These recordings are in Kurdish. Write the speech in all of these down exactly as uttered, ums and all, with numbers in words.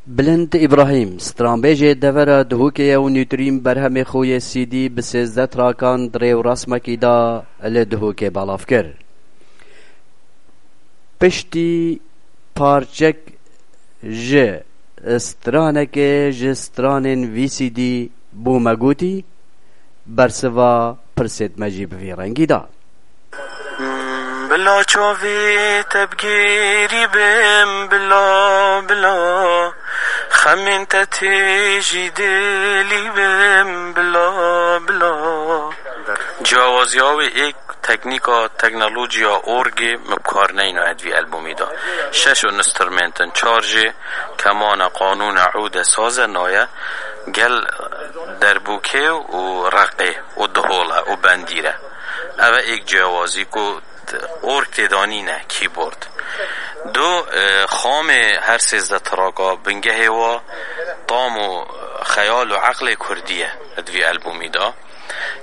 Bilind Îbrahîm, stranbêjê devera Duhokê ye û nûtrîn berhemê xwe yê C D bi sêzdeh trakan di rê û resmekî de li Duhokê belav kir. Piştî parçek ji stranekê ji stranên vî C D bû me gotî, bersiva pirsêt me jî bi vî rengî da. Bila çavê te bigêrî bim, bila, bila. Xemên te tê jî dilî bim, bila, bila. Ciyawaziya wê êk teknîka teknolojiya orgê min bi kar neyna di vî albûmî de. Şeş instrument in, çar jê kemane, qanûne, ûde, saze naye, gel derbûkê û reqê û dihol e û bendîr e. Ev e êk ciyawazî ku t-, org têda nîne, keyboard. Du, e, xamê her sêzdeh traka bingehê wa tam û xeyal û eqlê kurdî ye di vî albûmî de.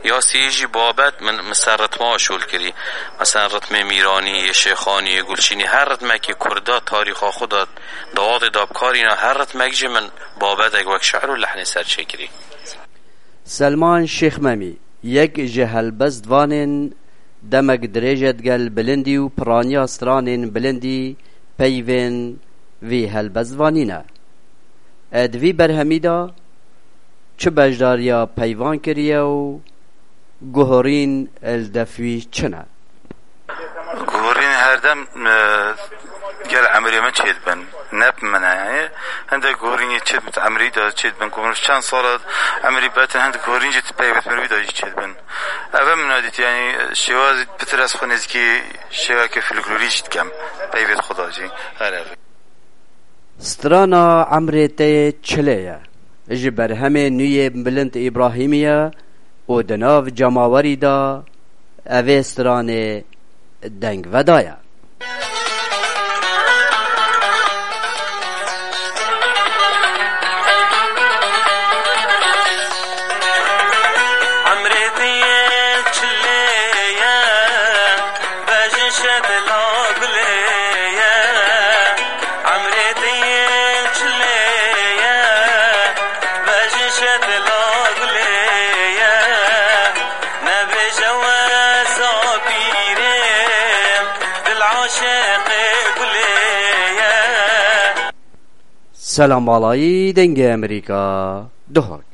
Ya sêyê jî babet min, min ser ritma şol kirî. Mesela ritmê Mîranî, yê Şêxanî, yê Gulşînî, her ritmekî kurda tarîxa xwe de dawatê da bikarîna, her ritmek jî min babetek wek şi'r û lehnê ser çêkirî. Selman Şêxmemî, yek ji helbestvanên demek dirêj e digel bilindî û piraniya stranên bilindî peyvên vî helbestvanî ne. E, di vî berhemî de çi beşdariya peyvan kiriye û guhorîn li def wî çi ne? Guhorîn herdem, e, gel emrê min çêdibin. Ne bi min e, yani. Hindek guhorînê çêdibin, emrî de çêdibin. Ku min çend sala emrî betin, hindek guhorîn jî peyvêt min wî de jî çêdibin. Ev min dît, yani, şêwazî pitir ez xwe nêzîkî şêwekê folklorî jî dikem. Peyvêt xwe de jî. Her ev. Strana Emrê Te Yê Çilê ye. Ji berhemê nû yê Bilind Îbrahîmî ye û di nav cemawerî de evê stranê deng vedaye. Emrê te yê çilê ye, vejin şedila gulê ye. Emrê te yê çilê ye, vejin şedila gulê ye. Nebêje we zapîrê, dil aşiqê gulê ye. Selam alayî Dengê Amerîka, Duhok.